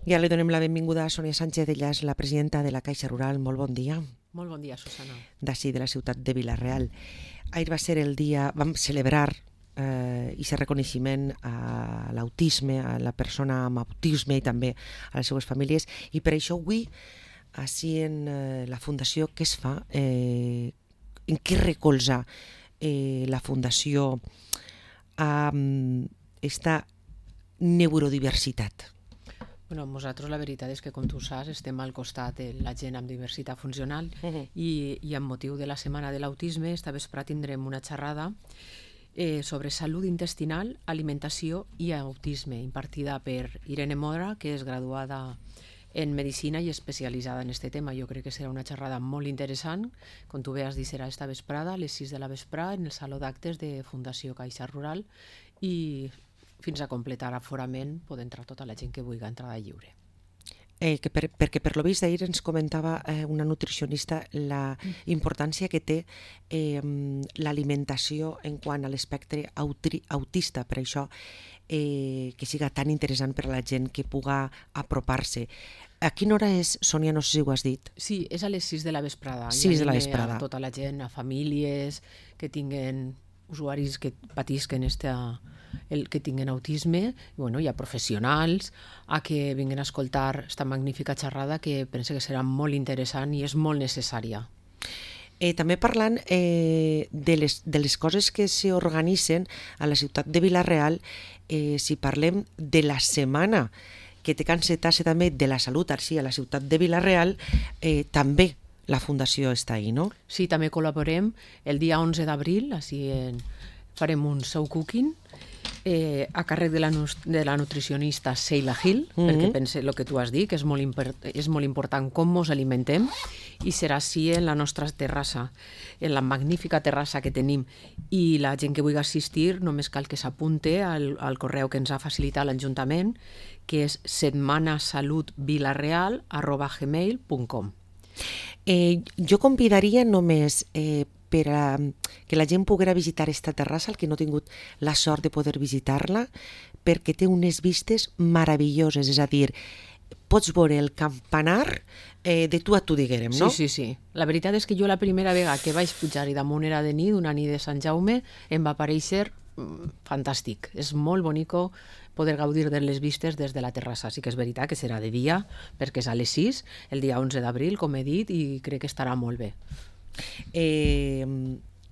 Ja li donem la benvinguda a Sònia Sánchez, ella és la presidenta de la Caixa Rural. Molt bon dia. Molt bon dia, Susana. D'ací, de la ciutat de Vila-real. Ahir va ser el dia, vam celebrar aquest reconeixement a l'autisme, a la persona amb autisme i també a les seues famílies, i per això avui, així en la Fundació, què es fa? En què recolza la Fundació a esta neurodiversitat? Bueno, nosaltres la veritat és que, com tu saps, estem al costat de la gent amb diversitat funcional i amb motiu de la Setmana de l'Autisme, esta vespre tindrem una xerrada sobre salut intestinal, alimentació i autisme, impartida per Irene Mora, que és graduada en Medicina i especialitzada en aquest tema. Jo crec que serà una xerrada molt interessant. Com tu bé has dit, serà esta vesprada, a les 6 de la vesprada, en el Saló d'Actes de Fundació Caixa Rural, i fins a completar aforament pot entrar tota la gent que vulgui entrada lliure. Perquè per lo vist ahir ens comentava una nutricionista la importància que té l'alimentació en quant a l'espectre autista, per això que siga tan interessant per a la gent que puga apropar-se. A quina hora és, Sònia? No sé si ho has dit. Sí, és a les 6 de la vesprada. 6 de la vesprada. A tota la gent, a famílies que tinguen usuaris que patisquen que tinguen autisme, i a professionals, a que vinguin a escoltar esta magnífica xerrada que penso que serà molt interessant i és molt necessària. També parlant de les coses que s'organitzen a la ciutat de Vila-real, si parlem de la setmana que té que encetar-se també de la salut així a la ciutat de Vila-real, també la Fundació està ahí, no? Sí, també col·laborem. El dia 11 d'abril farem un show cooking a càrrec de la nutricionista Sheila Hill, perquè pense el que tu has dit, que és molt important com ens alimentem, i serà així en la nostra terrassa, en la magnífica terrassa que tenim. I la gent que vulgui assistir només cal que s'apunte al correu que ens ha facilitat l'Ajuntament, que és setmanasalutvilareal@gmail.com. Jo convidaria només per a que la gent poguera visitar esta terrassa, el que no ha tingut la sort de poder visitar-la, perquè té unes vistes meravelloses, és a dir, pots veure el campanar de tu a tu, diguem, no? Sí. La veritat és que jo la primera vegada que vaig pujar i damunt era de nit, una nit de Sant Jaume, em va aparèixer fantàstic. És molt bonico poder gaudir de les vistes des de la terrassa. Sí que és veritat que serà de dia, perquè és a les 6, el dia 11 d'abril, com he dit, i crec que estarà molt bé.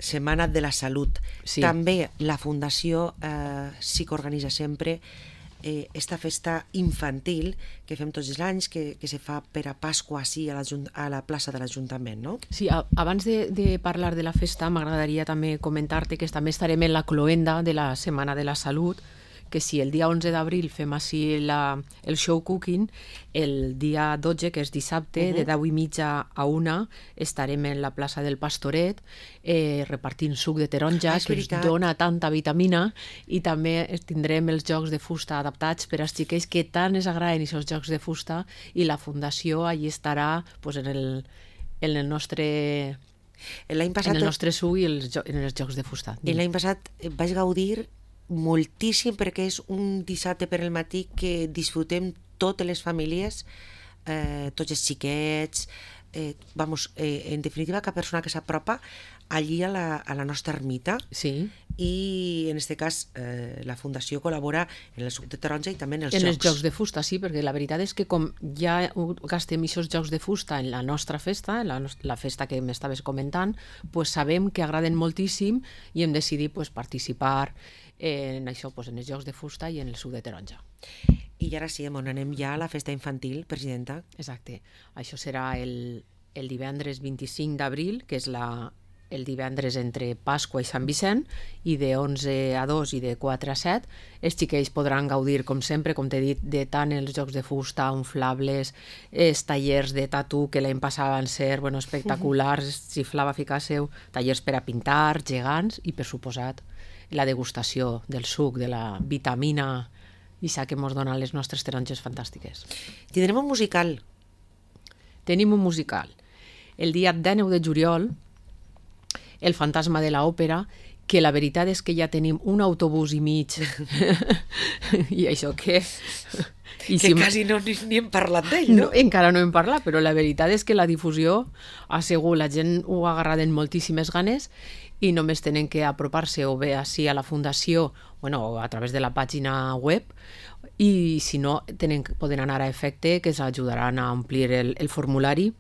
Setmana de la Salut. Sí. També la Fundació sí que organitza sempre esta festa infantil que fem tots els anys, que se fa per a Pasqua així a la plaça de l'Ajuntament, no? Sí, abans de parlar de la festa m'agradaria també comentar-te que també estarem en la cloenda de la Setmana de la Salut, que si el dia 11 d'abril fem així el show cooking, el dia 12, que és dissabte, de 10:30 a 1, estarem en la plaça del Pastoret repartint suc de taronja, que ens dona tanta vitamina, i també tindrem els jocs de fusta adaptats per als xiquets que tant ens agraden aquests jocs de fusta, i la Fundació allí estarà en el nostre suc i en els jocs de fusta. L'any passat vaig gaudir moltíssim, perquè és un dissabte per al matí que disfrutem totes les famílies, tots els xiquets, en definitiva, cada persona que s'apropa allí a la nostra ermita. Sí. I en aquest cas la Fundació col·labora en el suc de taronja i també en els jocs. En els jocs de fusta, sí, perquè la veritat és que com ja gastem aquests jocs de fusta en la nostra festa, la festa que m'estaves comentant, pues sabem que agraden moltíssim i hem decidit participar en això, en els jocs de fusta i en el suc de taronja. I ara sí, on anem ja a la festa infantil, presidenta? Exacte. Això serà el divendres 25 d'abril, que és el divendres entre Pasqua i Sant Vicent, i de 11 a 2 i de 4 a 7 els xiquets podran gaudir, com sempre, com t'he dit, de tant els jocs de fusta, inflables, els tallers de tatu, que l'any passat van ser espectaculars, xiflava ficar-se, tallers per a pintar, gegants, i per suposat la degustació del suc, de la vitamina que ens donen les nostres taronges fantàstiques. Tindrem un musical. Tenim un musical. El dia 19 de juliol, El fantasma de l'òpera, que la veritat és que ja tenim un autobús i mig i això què? I que quasi ni hem parlat d'ell, no? Encara no hem parlat, però la veritat és que la difusió ha sigut, la gent ho ha agarrat en moltíssimes ganes i només tenen que apropar-se o bé així a la fundació o a través de la pàgina web, i si no poden anar a Efecte, que s'ajudaran a omplir el formulari,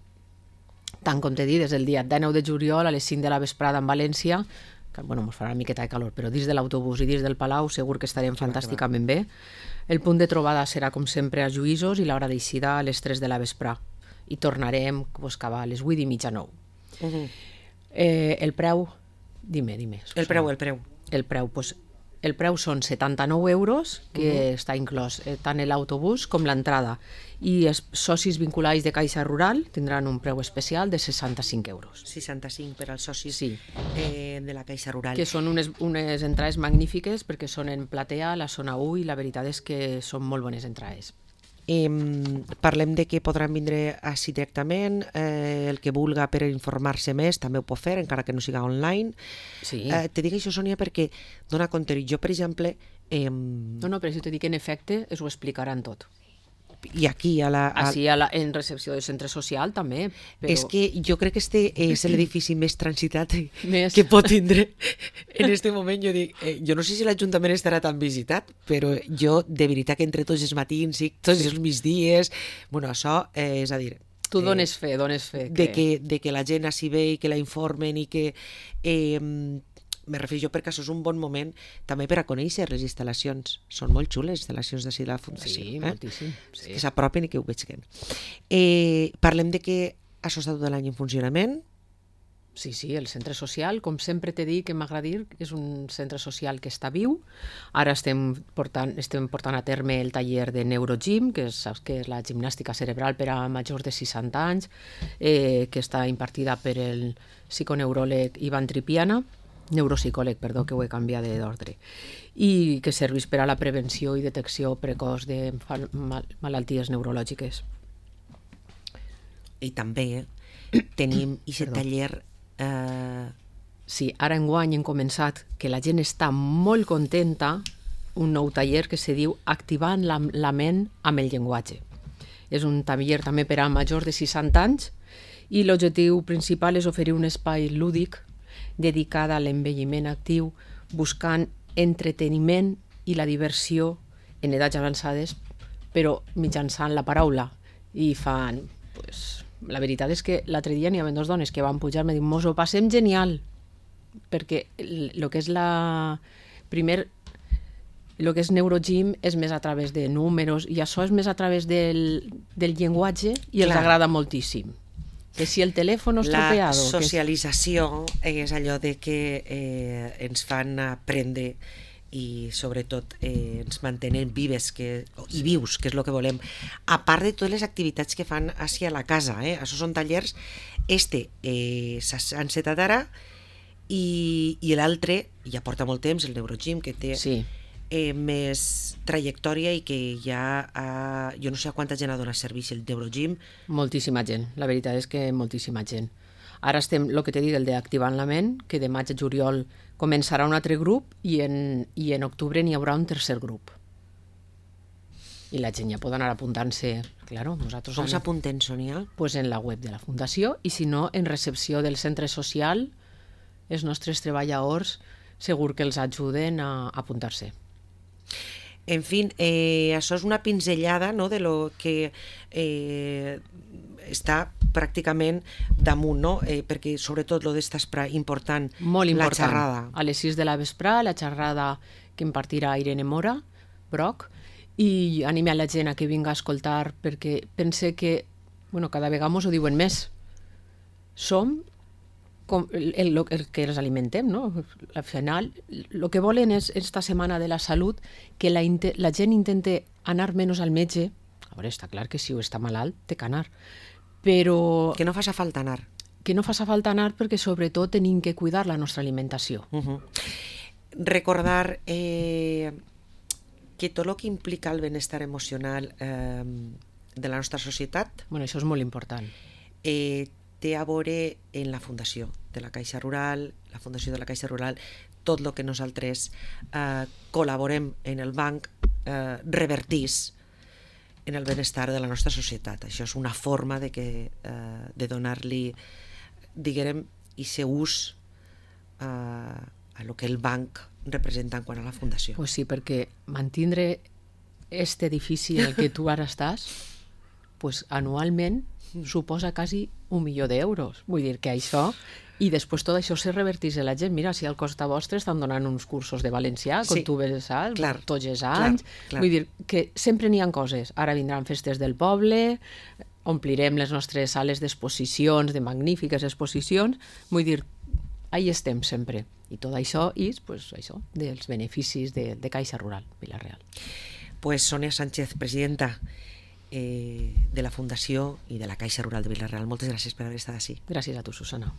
tant com t'he dit, des del dia 19 de juliol a les 5 de la vesprada en València, que ens farà una miqueta de calor, però dins de l'autobús i dins del Palau segur que estarem fantàsticament bé. El punt de trobada serà, com sempre, a Lluïsos i l'hora d'eixida a les 3 de la vesprà. I tornarem cap a les 8 i mitja, 9. El preu... Dime. El preu. El preu, el preu són 79 euros, que està inclòs tant l'autobús com l'entrada. I els socis vinculats de Caixa Rural tindran un preu especial de 65 euros. 65 per als socis de la Caixa Rural. Que són unes entrades magnífiques perquè són en platea, la zona 1, i la veritat és que són molt bones entrades. Parlem de que podran vindre així directament, el que vulga per informar-se més també ho pot fer, encara que no siga online. Sí. Te dic això, Sònia, perquè dona compte, jo per exemple... No, però si te dic en Efecte ho explicaran tot. I aquí en recepció del centre social també. Però... És que jo crec que este és l'edifici més transitat que pot tindre en este moment. Jo dic, jo no sé si l'Ajuntament estarà tan visitat, però jo de veritat que entre tots els matins i tots els migdies, això és a dir... Tu dones fe. De que la gent així ve i que la informen i que... Me refereixo perquè això és un bon moment també per a conèixer les instal·lacions. Són molt xules les instal·lacions d'ací de la Fundació. Sí, moltíssim. Que s'apropen i que ho vegin. Parlem de que això està tot l'any en funcionament. Sí, el centre social, com sempre t'he dit que m'agrada dir, és un centre social que està viu. Ara estem portant a terme el taller de Neurogym, que saps que és la gimnàstica cerebral per a majors de 60 anys, que està impartida per el psiconeuròleg Ivan Tripiana, neuropsicòleg, que ho he canviat d'ordre, i que serveix per a la prevenció i detecció precoç de malalties neurològiques. I també tenim aquest taller... Sí, ara enguany hem començat, que la gent està molt contenta, un nou taller que se diu Activant la ment amb el llenguatge. És un taller també per a majors de 60 anys i l'objectiu principal és oferir un espai lúdic dedicada a l'envelliment actiu, buscant entreteniment i la diversió en edats avançades, però mitjançant la paraula. I fan... la veritat és que l'altre dia n'hi havia dues dones que van pujar i m'han dit, mos ho passem genial, perquè el que és el que és Neurogym és més a través de números i això és més a través del llenguatge i els agrada moltíssim. Que si el telèfon estropeado... La socialització és allò de que ens fan aprendre i sobretot ens mantenen vives i vius, que és el que volem. A part de totes les activitats que fan així a la casa. Això són tallers. S'han encetat ara i l'altre ja porta molt temps, el Neurogym, que té... Sí. Més trajectòria i que ja jo no sé a quanta gent ha donat servei el Neurogym. Moltíssima gent, la veritat és que moltíssima gent. Ara estem, el que t'he dit, el d'Activant la ment, que de maig a juliol començarà un altre grup i en octubre n'hi haurà un tercer grup. I la gent ja pot anar apuntant-se. Claro, nosaltres com s'apunten, Sònia? Pues en la web de la Fundació i si no, en recepció del centre social, els nostres treballadors segur que els ajuden a apuntar-se. En fi, això és una pinzellada de lo que està pràcticament damunt, perquè sobretot lo d'esta important, molt important, la xerrada. A les 6 de la vesprà, la xerrada que impartirà Irene Mora, Broc, i anime a la gent a que vinga a escoltar perquè pense que, cada vegada mos ho diuen més, som com el que els alimentem, no? Al final, el que volen és esta setmana de la salut que la gent intente anar menys al metge. A veure, està clar que si està malalt té que anar, però... Que no faci falta anar. Que no faci falta anar perquè sobretot tenim que cuidar la nostra alimentació. Recordar que tot el que implica el benestar emocional de la nostra societat... Això és molt important. Té a veure en la Fundació de la Caixa Rural. La Fundació de la Caixa Rural tot el que nosaltres col·laborem en el banc revertís en el benestar de la nostra societat. Això és una forma de donar-li, diguem, aquest ús a lo que el banc representa en quant a la fundació. Pues sí, perquè mantindre este edifici en el que tu ara estàs, pues anualment suposa quasi 1 milió d'euros. Vull dir que això, i després tot això se revertís a la gent. Mira, si al Costa Vostre estan donant uns cursos de valencià, com tu ves, tots els anys. Vull dir que sempre n'hi ha coses. Ara vindran festes del poble, omplirem les nostres sales d'exposicions, de magnífiques exposicions. Vull dir, ahí estem sempre. I tot això és, pues, això, dels beneficis de Caixa Rural Vila-real. Pues Sònia Sánchez, presidenta de la Fundació i de la Caixa Rural de Vila-real, moltes gràcies per haver estat així. Gràcies a tu, Susana.